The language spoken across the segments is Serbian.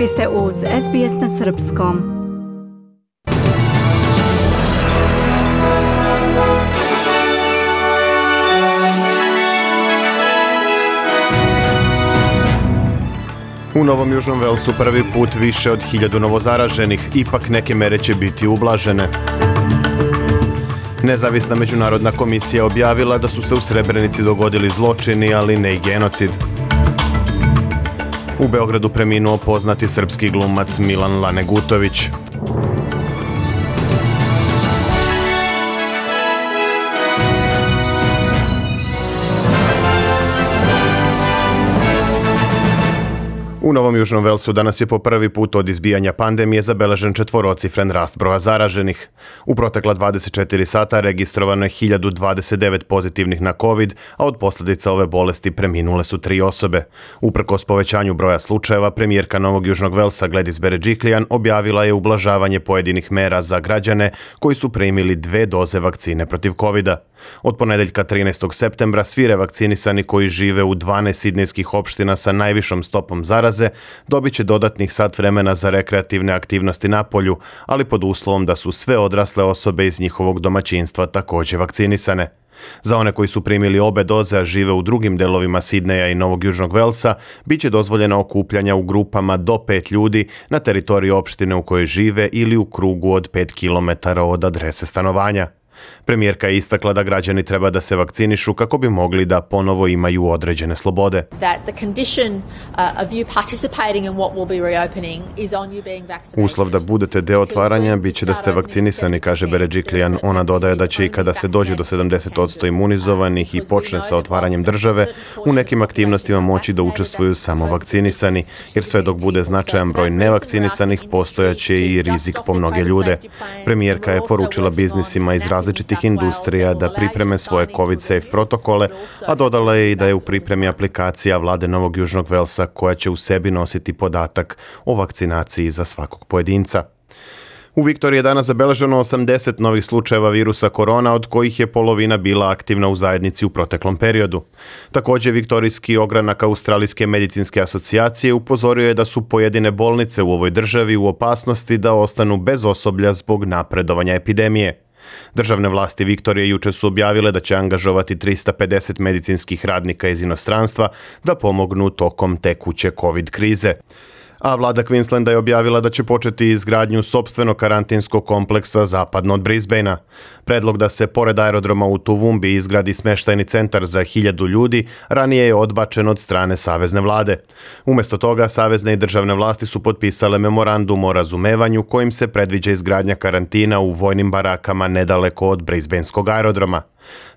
Vi ste uz SBS na srpskom. U Novom Južnom Velsu prvi put više od 1000 novozaraženih, ipak neke mere će biti ublažene. Nezavisna međunarodna komisija objavila da su se u Srebrenici dogodili zločini, ali ne i genocid. U Beogradu preminuo poznati srpski glumac Milan Lanegutović. U Novom Južnom Velsu danas je po prvi put od izbijanja pandemije zabeležen četvorocifren rast broja zaraženih. U protekla 24 sata registrovano je 1029 pozitivnih na COVID, a od posljedica ove bolesti preminule su 3 osobe. Uprkos povećanju broja slučajeva, premijerka Novog Južnog Velsa Gladys Berejiklian objavila je ublažavanje pojedinih mera za građane koji su primili 2 doze vakcine protiv COVID-a. Od ponedeljka 13. septembra svi revakcinisani koji žive u 12 sidnejskih opština sa najvišom stopom zaraze dobit će dodatnih sat vremena za rekreativne aktivnosti na polju, ali pod uslovom da su sve odrasle osobe iz njihovog domaćinstva također vakcinisane. Za one koji su primili obe doze, a žive u drugim delovima Sidneja i Novog Južnog Velsa, bit će dozvoljena okupljanja u grupama do 5 ljudi na teritoriji opštine u kojoj žive ili u krugu od 5 km od adrese stanovanja. Premijerka je istakla da građani treba da se vakcinišu kako bi mogli da ponovo imaju određene slobode. Uslov da budete deo otvaranja bit će da ste vakcinisani, kaže Berejiklian. Ona dodaje da će i kada se dođe do 70% imunizovanih i počne sa otvaranjem države, u nekim aktivnostima moći da učestvuju samo vakcinisani, jer sve dok bude značajan broj nevakcinisanih, postojaće i rizik po mnoge ljude. Premijerka je poručila biznisima iz različitih industrija da pripreme svoje COVID-safe protokole, a dodala je i da je u pripremi aplikacija vlade Novog Južnog Velsa koja će u sebi nositi podatak o vakcinaciji za svakog pojedinca. U Viktoriji je danas zabeleženo 80 novih slučajeva virusa korona, od kojih je polovina bila aktivna u zajednici u proteklom periodu. Također, viktorijski ogranak Australijske medicinske asocijacije upozorio je da su pojedine bolnice u ovoj državi u opasnosti da ostanu bez osoblja zbog napredovanja epidemije. Državne vlasti Viktorije jučer su objavile da će angažovati 350 medicinskih radnika iz inostranstva da pomognu tokom tekuće COVID krize. A vlada Queenslanda je objavila da će početi izgradnju sopstvenog karantinskog kompleksa zapadno od Brisbanea. Predlog da se pored aerodroma u Toowoomba izgradi smještajni centar za 1000 ljudi ranije je odbačen od strane savezne vlade. Umjesto toga, savezne i državne vlasti su potpisale memorandum o razumevanju kojim se predviđa izgradnja karantina u vojnim barakama nedaleko od Brisbaneskog aerodroma.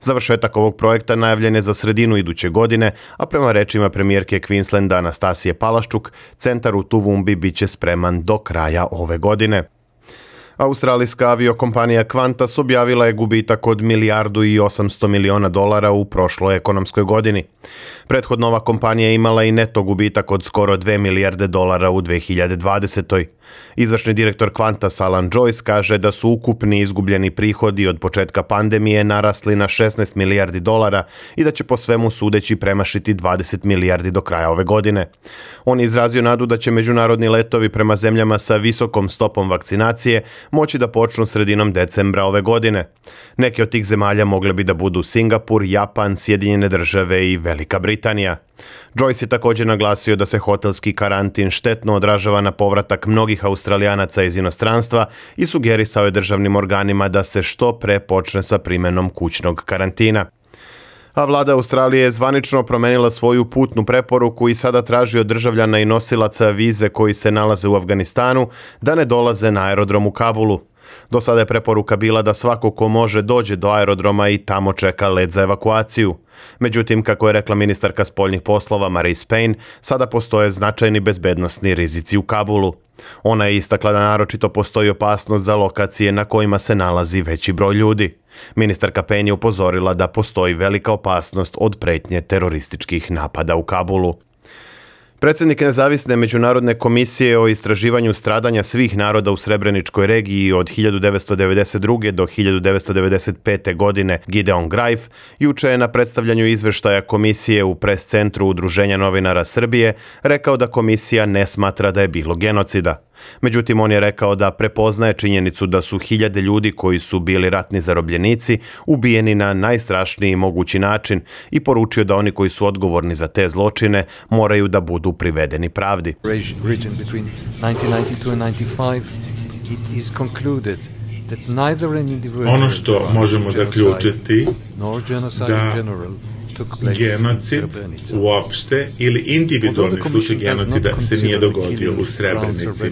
Završetak ovog projekta najavljen je za sredinu iduće godine, a prema rečima premijerke Queenslanda Anastasije Palaščuk, centar u Toowoombi bit će spreman do kraja ove godine. Australijska aviokompanija Qantas objavila je gubitak od $1,8 milijardi u prošloj ekonomskoj godini. Prethodno ova kompanija je imala i neto gubitak od skoro $2 milijarde u 2020. Izvršni direktor Qantas Alan Joyce kaže da su ukupni izgubljeni prihodi od početka pandemije narasli na $16 milijardi i da će po svemu sudeći premašiti 20 milijardi do kraja ove godine. On je izrazio nadu da će međunarodni letovi prema zemljama sa visokom stopom vakcinacije moći da počnu sredinom decembra ove godine. Neke od tih zemalja mogle bi da budu Singapur, Japan, Sjedinjene Države i Velika Britanija. Joyce je također naglasio da se hotelski karantin štetno odražava na povratak mnogih Australijanaca iz inostranstva i sugerisao je državnim organima da se što pre počne sa primjenom kućnog karantina. A vlada Australije je zvanično promenila svoju putnu preporuku i sada traži od državljana i nosilaca vize koji se nalaze u Afganistanu da ne dolaze na aerodrom u Kabulu. Do sada je preporuka bila da svako ko može dođe do aerodroma i tamo čeka let za evakuaciju. Međutim, kako je rekla ministarka spoljnih poslova Marise Payne, sada postoje značajni bezbednosni rizici u Kabulu. Ona je istakla da naročito postoji opasnost za lokacije na kojima se nalazi veći broj ljudi. Ministarka Payne je upozorila da postoji velika opasnost od pretnje terorističkih napada u Kabulu. Predsjednik nezavisne međunarodne komisije o istraživanju stradanja svih naroda u Srebreničkoj regiji od 1992. do 1995. godine Gideon Grajf juče je na predstavljanju izveštaja komisije u pres centru Udruženja novinara Srbije rekao da komisija ne smatra da je bilo genocida. Međutim, on je rekao da prepoznaje činjenicu da su hiljade ljudi koji su bili ratni zarobljenici ubijeni na najstrašniji mogući način i poručio da oni koji su odgovorni za te zločine moraju da budu privedeni pravdi. Ono što možemo zaključiti da genocid uopšte ili individualni slučaj genocida se nije dogodio u Srebrenici.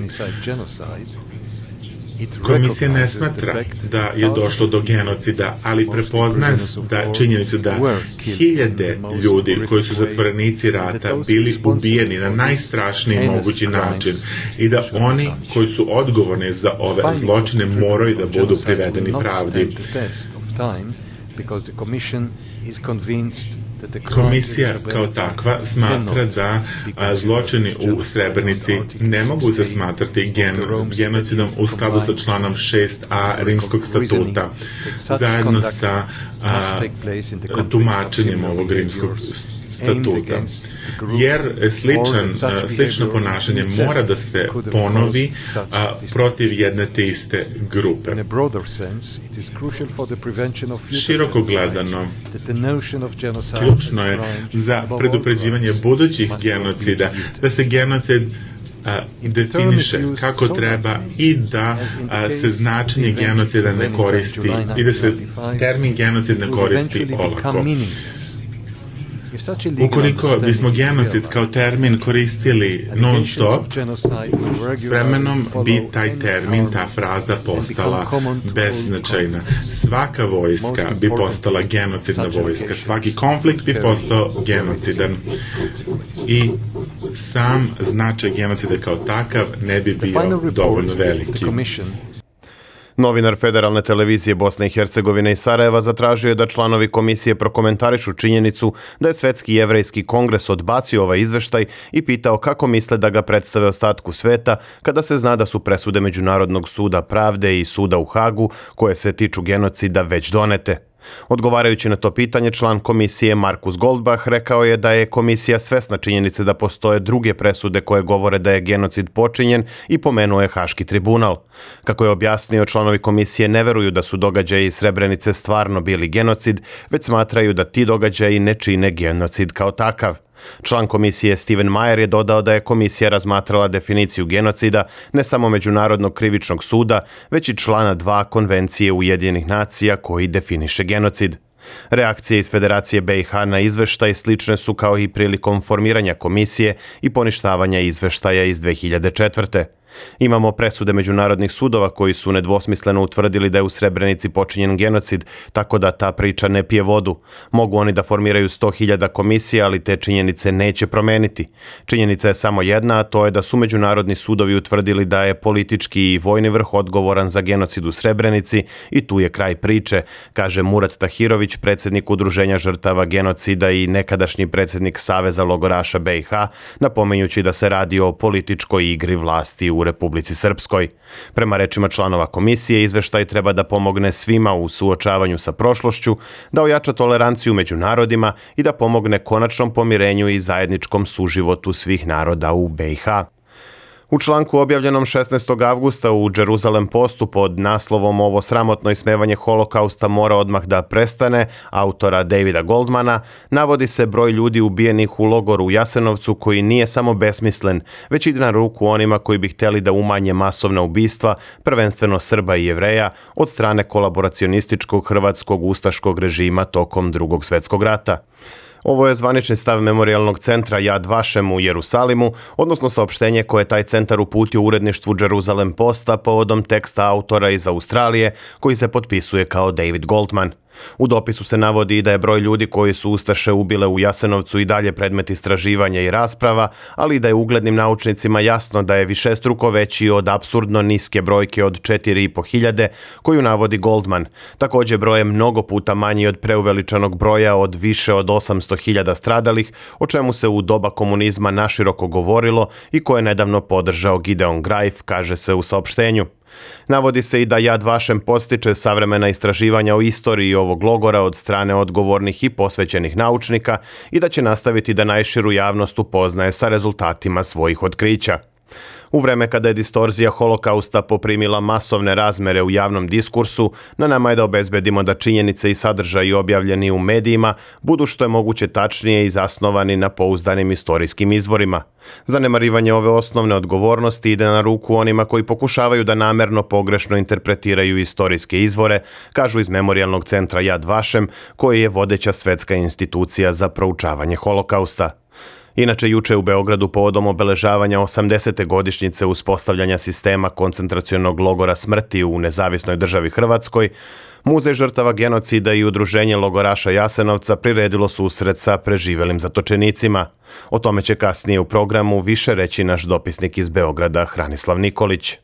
Komisija ne smatra da je došlo do genocida, ali prepoznaje da činjenicu da hiljade ljudi koji su zatvorenici rata bili ubijeni na najstrašniji mogući način i da oni koji su odgovorni za ove zločine moraju da budu privedeni pravdi. Komisija kao takva smatra da zločini u Srebrenici ne mogu se smatrati genocidom u skladu sa članom 6a Rimskog statuta, zajedno sa tumačenjem ovog Rimskog statuta. Jer slično ponašanje mora da se ponovi protiv jedne te iste grupe. Široko gledano, ključno je za predupređivanje budućih genocida da se genocid definiše kako treba i da se značenje genocida ne koristi i da se termin genocid ne koristi olako. Ukoliko bismo genocid kao termin koristili non-stop, s vremenom bi taj termin, ta fraza postala beznačajna. Svaka vojska bi postala genocidna vojska, svaki konflikt bi postao genocidan i sam značaj genocida kao takav ne bi bio dovoljno veliki. Novinar Federalne televizije Bosne i Hercegovine iz Sarajeva zatražio je da članovi komisije prokomentarišu činjenicu da je Svetski jevrejski kongres odbacio ovaj izveštaj i pitao kako misle da ga predstave ostatku sveta kada se zna da su presude Međunarodnog suda pravde i suda u Hagu koje se tiču genocida već donete. Odgovarajući na to pitanje, član komisije Markus Goldbach rekao je da je komisija svesna činjenice da postoje druge presude koje govore da je genocid počinjen i pomenuo je Haški tribunal. Kako je objasnio, članovi komisije ne veruju da su događaji iz Srebrenice stvarno bili genocid, već smatraju da ti događaji ne čine genocid kao takav. Član komisije Steven Mayer je dodao da je komisija razmatrala definiciju genocida ne samo Međunarodnog krivičnog suda, već i člana 2 Konvencije Ujedinjenih nacija koji definiše genocid. Reakcije iz Federacije BiH na izveštaj slične su kao i prilikom formiranja komisije i poništavanja izveštaja iz 2004. Imamo presude međunarodnih sudova koji su nedvosmisleno utvrdili da je u Srebrenici počinjen genocid, tako da ta priča ne pije vodu. Mogu oni da formiraju 100.000 komisija, ali te činjenice neće promeniti. Činjenica je samo jedna, a to je da su međunarodni sudovi utvrdili da je politički i vojni vrh odgovoran za genocid u Srebrenici i tu je kraj priče, kaže Murat Tahirović, predsjednik Udruženja žrtava genocida i nekadašnji predsjednik Saveza logoraša BiH, napominjući da se radi o političkoj igri vlasti u Republici Srpskoj. Prema rečima članova komisije, izveštaj treba da pomogne svima u suočavanju sa prošlošću, da ojača toleranciju među narodima i da pomogne konačnom pomirenju i zajedničkom suživotu svih naroda u BiH. U članku objavljenom 16. avgusta u Jerusalem Postu pod naslovom "Ovo sramotno ismevanje holokausta mora odmah da prestane" autora Davida Goldmana, navodi se broj ljudi ubijenih u logoru u Jasenovcu koji nije samo besmislen, već ide na ruku onima koji bi htjeli da umanje masovna ubistva, prvenstveno Srba i Jevreja, od strane kolaboracionističkog hrvatskog ustaškog režima tokom Drugog svjetskog rata. Ovo je zvanični stav Memorijalnog centra Yad Vashem u Jerusalimu, odnosno saopštenje koje je taj centar uputio uredništvu Jerusalem Posta povodom teksta autora iz Australije koji se potpisuje kao David Goldman. U dopisu se navodi i da je broj ljudi koji su ustaše ubile u Jasenovcu i dalje predmet istraživanja i rasprava, ali i da je uglednim naučnicima jasno da je višestruko veći od apsurdno niske brojke od 4.500 koju navodi Goldman. Također broj je mnogo puta manji od preuveličanog broja od više od 800.000 stradalih, o čemu se u doba komunizma naširoko govorilo i koje je nedavno podržao Gideon Greif, kaže se u saopštenju. Navodi se i da Yad Vashem postiče savremena istraživanja o istoriji ovog logora od strane odgovornih i posvećenih naučnika i da će nastaviti da najširu javnost upoznaje sa rezultatima svojih otkrića. U vreme kada je distorzija holokausta poprimila masovne razmere u javnom diskursu, na nama je da obezbedimo da činjenice i sadržaji objavljeni u medijima budu što je moguće tačnije i zasnovani na pouzdanim istorijskim izvorima. Zanemarivanje ove osnovne odgovornosti ide na ruku onima koji pokušavaju da namerno pogrešno interpretiraju istorijske izvore, kažu iz Memorijalnog centra Yad Vashem, koji je vodeća svetska institucija za proučavanje holokausta. Inače, juče u Beogradu povodom obeležavanja 80. godišnjice uspostavljanja sistema koncentracionog logora smrti u Nezavisnoj državi Hrvatskoj, Muzej žrtava genocida i Udruženje logoraša Jasenovca priredilo susret sa preživelim zatočenicima. O tome će kasnije u programu više reći naš dopisnik iz Beograda Hranislav Nikolić.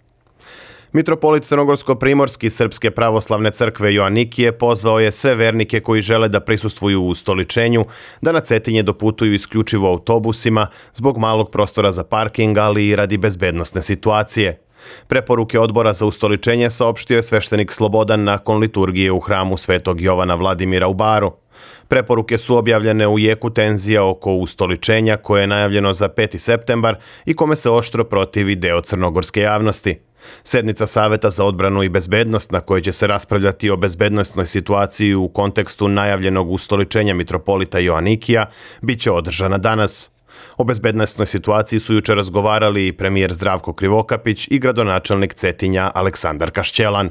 Mitropolit Crnogorsko-primorski Srpske pravoslavne crkve Joanikije pozvao je sve vernike koji žele da prisustvuju u ustoličenju da na Cetinje doputuju isključivo autobusima zbog malog prostora za parking, ali i radi bezbednosne situacije. Preporuke odbora za ustoličenje saopštio je sveštenik Slobodan nakon liturgije u hramu Svetog Jovana Vladimira u Baru. Preporuke su objavljene u jeku tenzija oko ustoličenja koje je najavljeno za 5. septembar i kome se oštro protivi deo crnogorske javnosti. Sednica Saveta za odbranu i bezbednost na kojoj će se raspravljati o bezbednosnoj situaciji u kontekstu najavljenog ustoličenja mitropolita Joanikija bit će održana danas. O bezbednosnoj situaciji su juče razgovarali i premijer Zdravko Krivokapić i gradonačelnik Cetinja Aleksandar Kašćelan.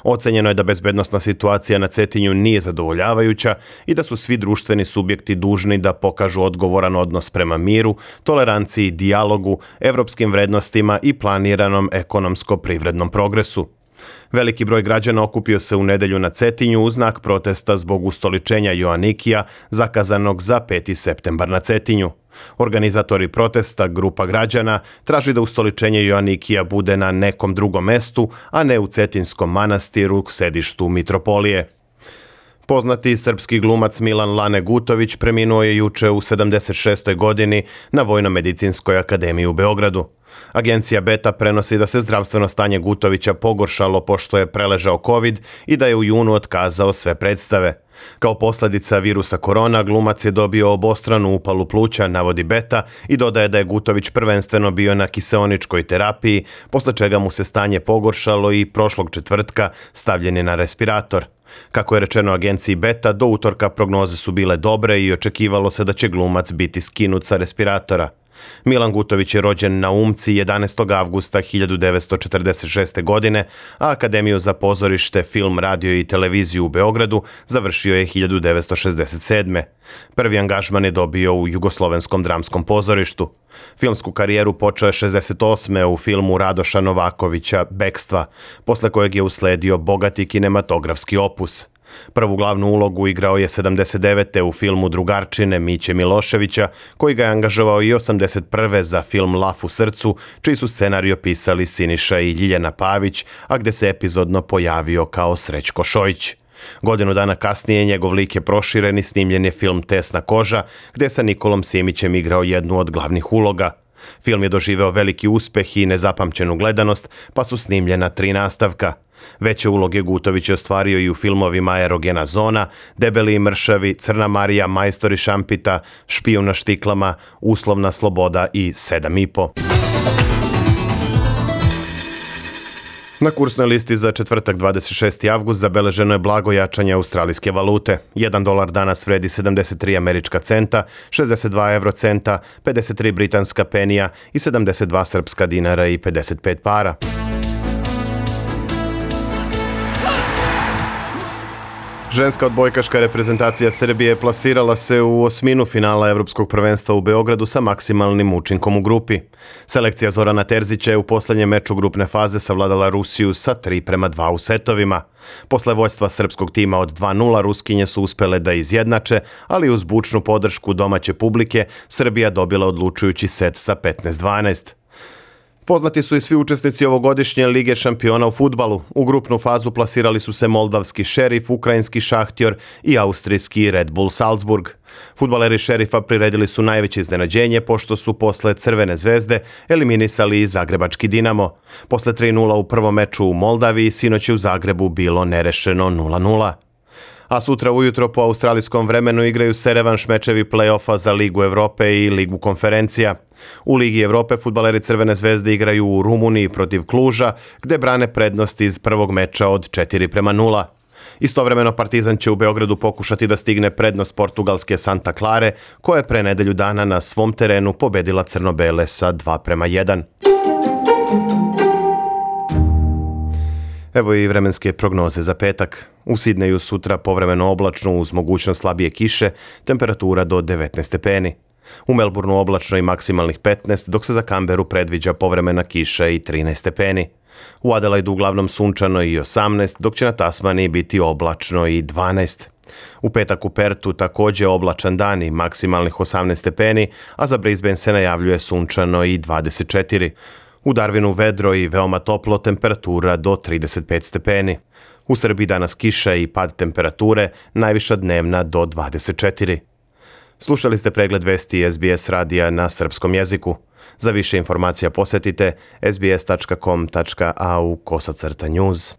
Ocenjeno je da bezbednosna situacija na Cetinju nije zadovoljavajuća i da su svi društveni subjekti dužni da pokažu odgovoran odnos prema miru, toleranciji, dijalogu, evropskim vrednostima i planiranom ekonomsko-privrednom progresu. Veliki broj građana okupio se u nedelju na Cetinju u znak protesta zbog ustoličenja Joanikija zakazanog za 5. septembar na Cetinju. Organizatori protesta, grupa građana, traži da ustoličenje Joanikija bude na nekom drugom mestu, a ne u Cetinskom manastiru, sedištu mitropolije. Poznati srpski glumac Milan Lane Gutović preminuo je juče u 76. godini na Vojno-medicinskoj akademiji u Beogradu. Agencija Beta prenosi da se zdravstveno stanje Gutovića pogoršalo pošto je preležao COVID i da je u junu otkazao sve predstave. Kao posljedica virusa korona, glumac je dobio obostranu upalu pluća, navodi Beta, i dodaje da je Gutović prvenstveno bio na kiseoničkoj terapiji, posle čega mu se stanje pogoršalo i prošlog četvrtka stavljen je na respirator. Kako je rečeno agenciji Beta, do utorka prognoze su bile dobre i očekivalo se da će glumac biti skinut sa respiratora. Milan Gutović je rođen na Umci 11. avgusta 1946. godine, a Akademiju za pozorište, film, radio i televiziju u Beogradu završio je 1967. Prvi angažman je dobio u Jugoslovenskom dramskom pozorištu. Filmsku karijeru počeo je 68. u filmu Radoša Novakovića Bekstva, posle kojeg je usledio bogati kinematografski opus. Prvu glavnu ulogu igrao je 79. u filmu Drugarčine Miće Miloševića, koji ga je angažovao i 81. za film Laf u srcu, čiji su scenario pisali Siniša i Ljiljana Pavić, a gde se epizodno pojavio kao Srećko Šojić. Godinu dana kasnije njegov lik je proširen i snimljen je film Tesna koža, gde je sa Nikolom Simićem igrao jednu od glavnih uloga. Film je doživeo veliki uspeh i nezapamćenu gledanost, pa su snimljena 3 nastavka. Veće uloge Gutović je ostvario i u filmovima Erogena zona, Debeli i mršavi, Crna Marija, Majstori šampita, Špijun na štiklama, Uslovna sloboda i 7,5. Na kursnoj listi za četvrtak 26. avgust zabeleženo je blago jačanje australijske valute. $1 danas vredi 73 američka centa, 62 eurocenta, 53 britanska penija i 72 srpska dinara i 55 para. Ženska odbojkaška reprezentacija Srbije plasirala se u osminu finala Evropskog prvenstva u Beogradu sa maksimalnim učinkom u grupi. Selekcija Zorana Terzića je u poslednjem meču grupne faze savladala Rusiju sa 3:2 u setovima. Posle vođstva srpskog tima od 2:0 Ruskinje su uspele da izjednače, ali uz bučnu podršku domaće publike Srbija dobila odlučujući set sa 15:12. Poznati su i svi učesnici ovogodišnje Lige šampiona u fudbalu. U grupnu fazu plasirali su se moldavski Šerif, ukrajinski Šahtjor i austrijski Red Bull Salzburg. Fudbaleri Šerifa priredili su najveće iznenađenje pošto su posle Crvene zvezde eliminisali i zagrebački Dinamo. Posle 3:0 u prvom meču u Moldaviji sinoć je u Zagrebu bilo nerešeno 0:0. A sutra ujutro po australijskom vremenu igraju se revanš mečevi play-offa za Ligu Evrope i Ligu konferencija. U Ligi Evrope fudbaleri Crvene zvezde igraju u Rumuniji protiv Kluža, gde brane prednost iz prvog meča od 4:0. Istovremeno Partizan će u Beogradu pokušati da stigne prednost portugalske Santa Clare, koja je pre nedelju dana na svom terenu pobedila crno-bele sa 2:1. Evo i vremenske prognoze za petak. U Sidneju sutra povremeno oblačno uz mogućnost slabije kiše, temperatura do 19 stepeni. U Melbourneu oblačno i maksimalnih 15, dok se za Canberu predviđa povremena kiša i 13 stepeni. U Adelaidu uglavnom sunčano i 18, dok će na Tasmaniji biti oblačno i 12. U petak u Pertu takođe oblačan dan i maksimalnih 18 stepeni, a za Brisbane se najavljuje sunčano i 24. U Darwinu vedro i veoma toplo, temperatura do 35 stepeni. U Srbiji danas kiša i pad temperature, najviša dnevna do 24. Slušali ste pregled vesti SBS radija na srpskom jeziku. Za više informacija posetite sbs.com.au/news.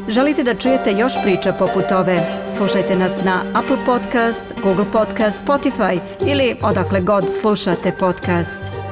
Želite da čujete još priča poput ove? Slušajte nas na Apple Podcast, Google Podcast, Spotify ili odakle god slušate podcast.